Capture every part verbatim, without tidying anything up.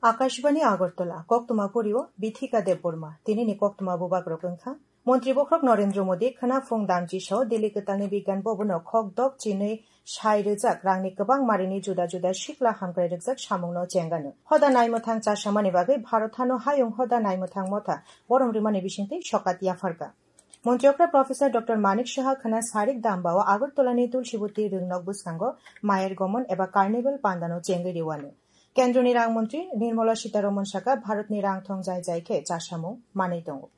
Akashbani Agartala, koktwma puri-o Bithika Debbarma. Tinini koktwma bubagrok wngkha: Montri bokhorok Narendra Modi khwna phung damchi sao Delhi kwtalni Bigyan Bhavan-o khok dok chinwi sai rwjak rangni kwbang marini juda juda sikla hamkrai rwjak samungno chengano. Hoda naimwthang chasamani bagwi Bharat hano hayung hoda naimwthang motha borom rwmani bisingtwi sokat yapharkha. Montri okra Professor Doctor Manik Saha khwna sarik dambao Agartalani Tulsibuti rwngnok bwskango Mayer Gomon eba Carnival pandano chengwi rwano. Kendroni rang montri Nirmala Sitaraman saka Bharatni rang thong jai jai khe chasamung manwi tongo.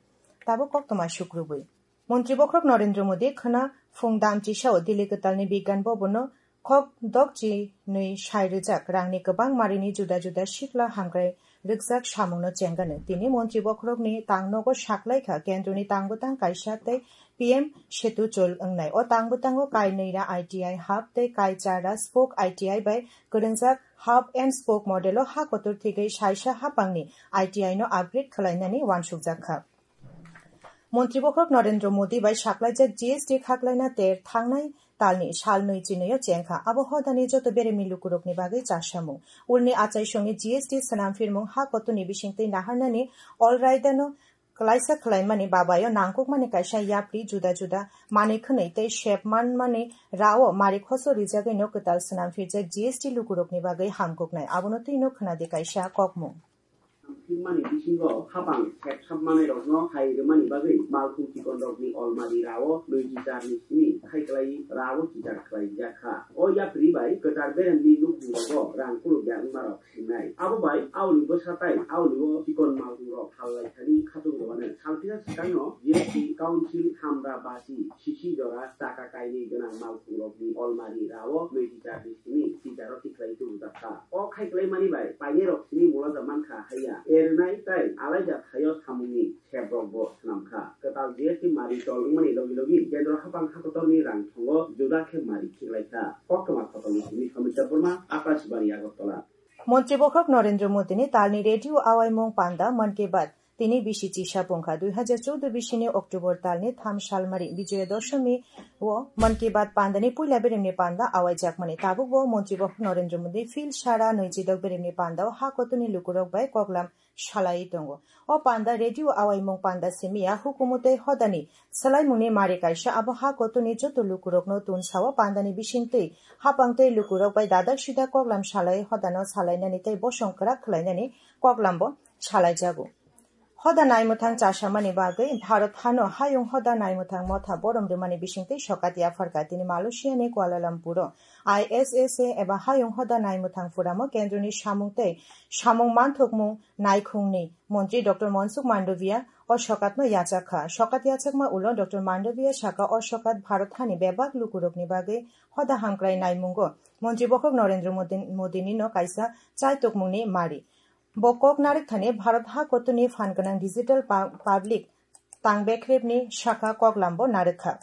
Tabuk koktwma sukrubwi. Montri bokhorok Narendra Modi khwna phung damchi sao Delhi kwtalni Bigyan Bhavan-o khok dok chinwi sai rwjak rangni kwbang marini juda juda sikla hamkrai rwkjak samungno chengano. Tini montri bokhorokni tangnogo saklaikha kendroni tangbwtang kaisa tei P M Setu chol wngnai. O tangbwtango kai nwi ra I T I hub tei kai char ra spoke I T I bai kwrwngjak hub and spoke model-o ha kotor thigwi saisa hapangni I T I no upgrade khwlainani uansukjak kha. Montri bokhorok Narendra Modi bai saklaijak G S T khaklaina ter thangnai talni sal nwi chinwi-o chengkha. Abo hodani joto beremni lukurokni bagwi chasamung. Ulni achaisongni G S T swnamphirmung ha kotoni bisingtwi naharnani All Raidano klaisa khwlaimani babayo nangkukmani kaisa yapri juda juda manwi khwnwi tei sep manmani rao mari khoso rijagwino kwtal swnamphirjak G S T lukurokni bagwi hamkuknai. Abono twino khwnadi kaisa kokmung. Thwngmani bisingo hapang sepsap manwi rokno hai rwmani bagwi malkhung chikon rokni almari rao nwi chichar ni simi khai kwlai rao chichar khwlai jak kha. O yapri bai kwchar beremni nukhung rogo rang kuluk ya wngma rok singnai. Abo bai aoni bwsa tai aoni o chikon malkhung rok hal lai thani khatung rwmani. Salphira swkangno G S T Council Hamra Basi sisi jora chaka kainwi gwnang malkhung rokni almari rao nwi chichar ni simi chicharo tikhlai tubujak kha. O khai kwlai mani bai painai rok simi mulaja mankha haiya. Ernai tai alaida thaio samungni sep rokbo swnam kha. Kwtal G S T mari chol wngmani logi logi kendro hapang hakotorni rang thongo juda khe mari khiklai kha. Koktwma khotolni simi Samit Debbarma, Akashbani Agartala. Montri bokhorok Narendra Modini talni radio awaimung panda Mann Ki Baat tini bisi chisa pungkha. Dui hajar choudo bisini October talni tham salmari Bijoya Dashami o Mann Ki Baat pandani puila beremni panda awaijakmani. Tabukbo montri bokhorok Narendra Modi phil sara nwi chidok beremni pandao ha kotoni lukurok bai koklam salai tongo. O panda radio awaimung panda simiya hukumu tei hodani swlaimungni mari kaisa abo ha kotoni joto lukurokno tun sao pandani bisingtwi hapang tei lukurok bai dadak sidak koklam salai hodano salainani tei bosong kwrak khwlainani koklambo salaijago. Hoda naimwthang chasamani bagwi Bharat hano hayung hoda naimwthang motha borom rwmani bisingtwi sokat yapharkha tini Malaysia ni Kuala Lumpur o I S S A eba hayung hoda naimwthang puramo kendroni samung tei samung manthokmung naikhungni montri Doctor Mansukh Mandaviya o sokatno yachak kha. Sokat yachakma ulo Doctor Mandaviya saka o sokat Bharat hani bebak lukurokni bagwi hoda hamkrai naimungo montri bokhorok Narendra Modi, Modini no kaisa chaitokmungni mari. Bo kok narwk thani Bharat ha kotoni phan gwnang digital pa-, public tang bekhrebni saka koklambo narwk kha.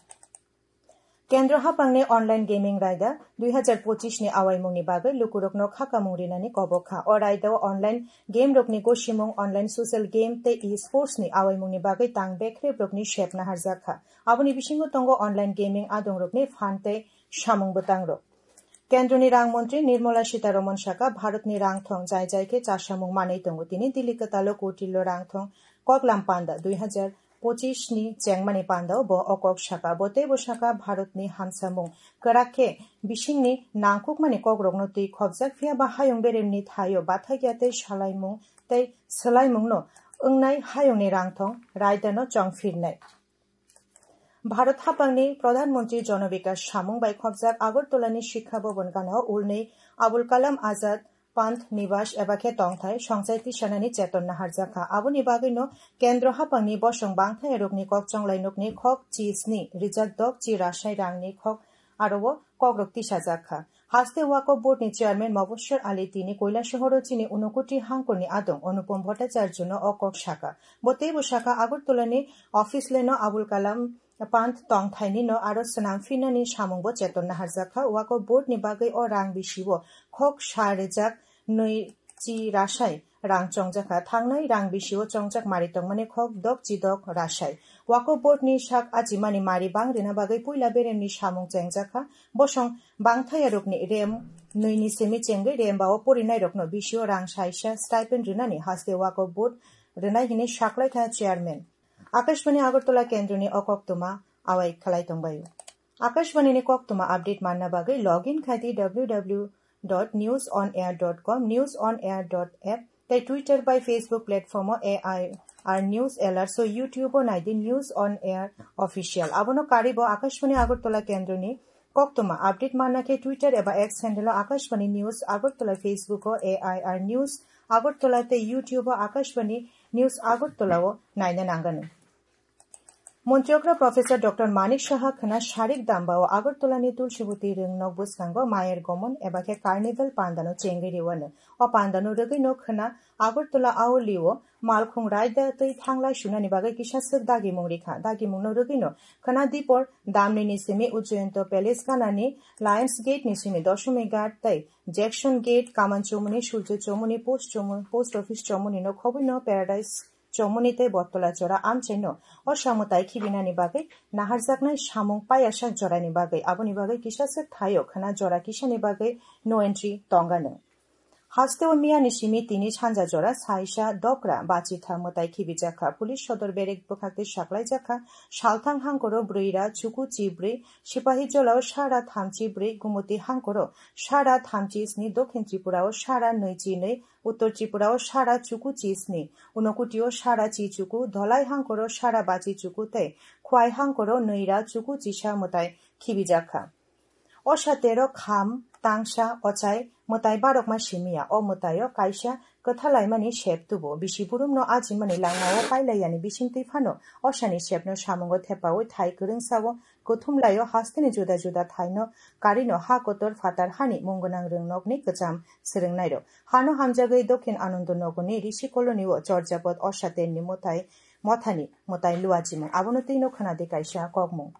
Kendro hapangni online gaming raida dui hajar pochis ni awaimungni bagwi lukurokno khakamung rinani kobok kha. O raidao online game rokni gosimung, online social game tei e-sports ni awaimungni bagwi tang bekhrebrokni sep naharjak kha. Aboni bisingo tongo online gaming adongrokni phan tei samung bwtangrok. Kendroni rang montri Nirmala Sitaraman saka Bharatni rang thong jai jai khe chasamung manwi tongo. Tini Delhi kwtalo kutillo rang thong koklam panda dui hajar pochis ni chengmani pandao bo o kok saka. Bo teibo saka Bharatni hamsamung kwrak khe bisingni nangkukmani kokrokno twi khopjak, phiya ba hayung beremni thaio bathakya tei salaimung tei swlaimungno wngnai hayungni rang thong raidano chongphirnai. Bharat hapangni Pradhan Mantri Jana Vikas samung bai khopjak Agartala ni Shiksha Bhavan gana o ulnwi Abul Kalam Azad Panth Niwas eba khe tongthai songchai tisanani cheton naharjak kha. Aboni bagwino Kendro hapangni bosong bangthai rokni kok chonglai nokni khok chi sni rijak dok chi rasai rangni khok aro o kokrok tisajak kha. Haste Waqf Board ni Chairman Mobashir Ali tini Kailasahar o chini Unakoti hangkor ni adong Anupam Bhattacharya no o kok saka. Bo teibo saka Agartala ni office lane o Abul Kalam Panth tongthai ni no aro swnam phinani samung bo cheton naharjak kha. Waqf Board ni bagwi o rang bisi o khok sa rijak nwi chi rasai rang chongjak kha. Thangnai rang bisi o chongjak mari tongmani khok dok chi dok rasai. Waqf Board ni sak achimani mari bang rina bagwi puila beremni samung chengjak kha. Bosong bangthai rokni rem nwini simi chengwi Remba o porinairokno bisio rang saisa stipend rwnani haste wako vote rwnai hwnwi saklaikha chairman. Akashbani Agartala kendroni o koktwma awai khlai tongbaio. Akashbani ni koktwma update manna bagwi login khai di w w w dot news on air dot com, news on air dot app, tei Twitter bai Facebook platform o A I R News Alert, so YouTube o nai di News on Air Official. Abono karibo Akashbani Agartala kendroni koktwma update manna khe Twitter eba X handle o Akashbani News Agartala, Facebook o A I R News Agartala tei YouTube o Akashbani News Agartala o naina nangano. Montri okra Professor Doctor Manik Saha khwna sarik damba o Agartala ni Tulsibuti rwngnok bwskango Mayer Gomon eba khe Carnival pandano chengwi rwano. O pandano rwgwino khwna Agartala Auli o malkhung raida twi thanglai sunani bagwi kisa swk dagimung rikha. Dagimungno rwgwino khwna dipor damni ni simi Ujjayanta Palace ganani Lions Gate ni simi Doshomighat tei Jackson Gate, Kaman Chomoni, Surjo Chomoni, Post Chomoni, Post Office Chomoni no khobwino Paradise Chomoni tei Bottola Chora amchaino o samwtai khibinani bagwi naharjaknai samung payasak jorani bagwi, aboni bagwi kisa swk thaio khwna jora kisani bagwi no entry tongano. Haste o miyani simi tini sanja jora saisa dokra bachitha mwtai khibijakha. Police sodor berek bwkhak tei saklaijakha. Salthang hangkoro brwi ra chuku chi brwi, Sipahi Jolao sara thamchi brwi, Gumuti hangkoro sara thamchi sni, Dokhin Tripura o sara nwi chi nwi, Uttor Tripura o sara chuku chi sni, Unokoti o sara chi chuku, Dholai hangkoro sara bachi chuku tei Khwai hangkoro nwi ra chuku chisa mwtai khibijakha. O satero kham, tangsa, ochai, mwtai barokma simiya. O mwtaio kaisa kwthalaimani sep tubu. Bisi burumno ajimani langmao pailaiyani bisingtwi phano osani sepno samungo thepaui thai kwrwngsao kuthumlaio hasteni juda juda thaino karino ha kotor phatar hani mung gwnang rwngnokni kwcham swrwngnairok. Hano hamjagwi Dokhin Anando Nogorni Rishi Colony o Chorjapot Osaterni mwtai mothani mwtai luachimung. Abono twino khwnadi kaisa kokmung.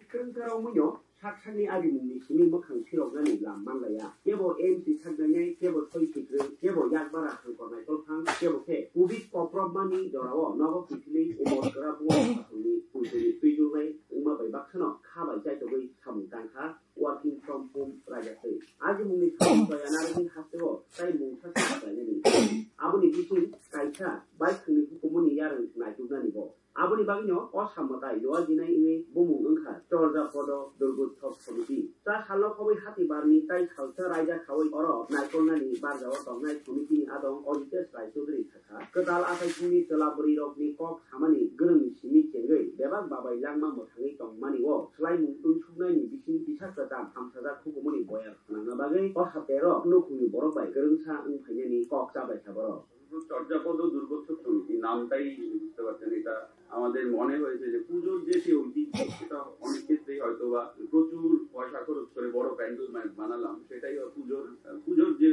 Kwrwngsa romwino sak sakni arimungni simi mwkhang phiroknani lam manlaiya. Kebo M C saknainai, kebo soi sikrwng, kebo yakbara hangkor naikol phang, kebo khe covid koprobmani jorao nogo kiphilwi umor kwrabwi khasongni twijlnai wngma bai baksano kha bai chaitogwi samung tangkha working from home raida twi. Ajimungni samung toya narwgwi hasteo tai mungsa se khlainani. Aboni bising kaisa baithangni hukumuni yarwng naituknani bo. Aboni bagwino o samwtai luajinai wngwi bumung wngkha Chorjapodo Durgotsob Somiti. Cha salno khobwi hati barni tai salsa raida khaui oro naikolnani barjao tongnai somitini adong Ajitesh Rai Choudhury sakha. Kwtal achaisongni chwla bwrwirokni kok samani gwrwngni simi chengwi bebak babai langma mwthangwi tongmani o swlaimung twi suknaini bising kisa kwcham hamsajak hukumuni boyar khwnangna bagwi o haptero nukhungni borok bai kwrwngsa wng phainani kok chabaikha borok. শুধু চর্যাপদ ও দুর্গোৎসব সমিতি নামটাই বুঝতে পারছেন, এটা আমাদের মনে হয়েছে যে পুজোর যে সেই ঐতিহ্য, সেটা অনেক ক্ষেত্রেই হয়তো বা প্রচুর পয়সা খরচ করে বড় প্যান্ডেল বানালাম, সেটাই পুজোর পুজোর যে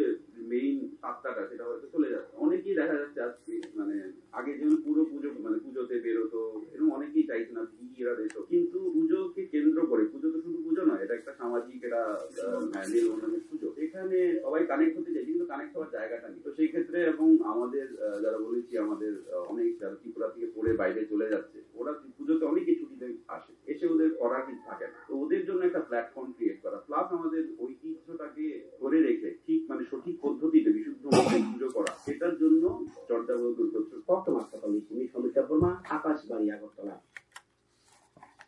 মেইন সত্তাটা সেটা হয়তো চলে যাচ্ছে। অনেকেই দেখা যাচ্ছে আজকে মানে আগে যেমন পুরো পুজো মানে পুজোতে বেরোতো, এরকম অনেকেই চাইছে না ভিড় আর এসব, কিন্তু পুজোকে কেন্দ্র করে, পুজো তো শুধু পুজো নয়, এটা একটা সামাজিক, এটা আহ, মেলবন্ধনের পুজো। এখানে সবাই কানেক্ট হতে চাইছে, কিন্তু কানেক্ট হওয়ার জায়গাটা নেই। তো সেই ক্ষেত্রে এবং আমাদের আহ, যারা বলেছি, আমাদের আহ, অনেক যারা ত্রিপুরা থেকে পড়ে বাইরে চলে যাচ্ছে, ওরা পুজোতে অনেকে ছুটিতে আসে, এসে ওদের করার কিছু থাকে না। তো ওদের জন্য একটা প্ল্যাটফর্ম ক্রিয়েট করা, প্লাস আমাদের ঐতিহ্যটাকে ধরে রেখে ঠিক মানে সঠিক পদ্ধতিতে বিশুদ্ধ মতে পুজো করা, সেটার জন্য চর্যাপদ দুর্গোৎসব। Koktwma Kotor ni simi Somit Debbarma, Akashbani Agartala.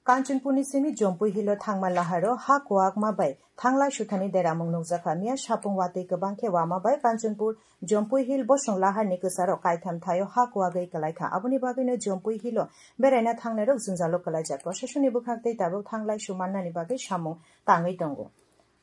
Kanchanpurni simi Jompui Hilo thangma laharo ha kuakma bai thanglai suthani deramung nukjakha. Miya sapung watwi kwbang khe wama bai Kanchanpur Jompui Hill bosong laharni kwcharo kaitham thaio ha kuagwi kwlaikha. Aboni bagwino Jompui Hilo beraina thangnairok jwngjalo kwlaijak. Proshasoni bwkhak tei tabuk thanglai su mannani bagwi samung tangwi tongo.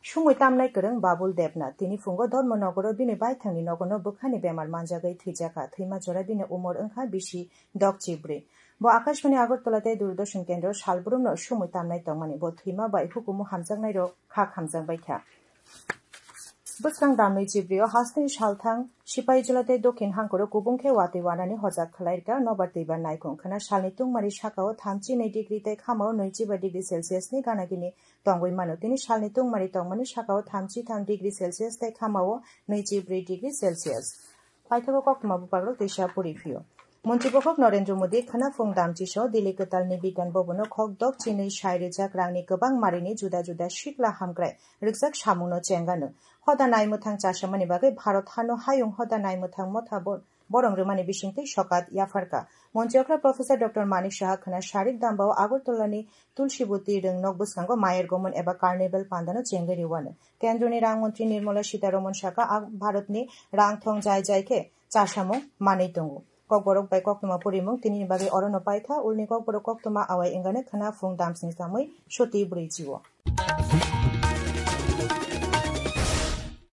Sumui tamnai kwrwng Babul Debnath tini phungo Dharmanagaro bini baithangni nogono bwkhani bemar manjagwi thwijakha. Thwima jora bini umor wngkha bisi dok chibrwi. Bo Akashbani Agartala tei Doordarshan Kendro salbrumno sumui tamnai tongmani. Bo thwima bai hukumu hamjaknairok kha khamjakbaikha. Bwskang damni chibrio hasteni salthang Sipahijola tei Dokhin hangkoro kubung khe watwi wanani hojak khwlairwkha nobar twibar naikhung khwna salni tungmari sakao thamchi nwi degree tei khamao nwichiba degree Celsius ni ganagini tongwi mano. Tini salni tungmari tongmani sakao thamchi tham degree Celsius tei khamao nwichibrwi degree Celsius. Paithago koktwma buphagrok teisa puri phio. Montri bokhok Narendra Modi khwna phung damchi so Delhi kwtalni Bigyan Bhavan-o khok dok chinwi sai rwjak rangni kwbang marini juda juda sikla hamkrai rwkjak samungno chengano. Hoda naimwthang chasamani bagwi Bharat hano hayung hoda naimwthang motha bo-, borong rwmani bisingtwi sokat yapharkha. Montri okra Professor Doctor Manik Saha khwna sarik dambao Agartala-ni Tulsibuti rwngnok bwskango Mayer Gomon eba Carnival pandano chengwi rwano. Kendroni rang montri Nirmala Sitharaman saka, a Bharatni rang thong jai jai khe chasamung manwi tongo. Kokborok bai koktwma purimung tinini bagwi orono paitha, ulni kokborok koktwma awai wngani khwna phung damsni samwi soti brwi chio.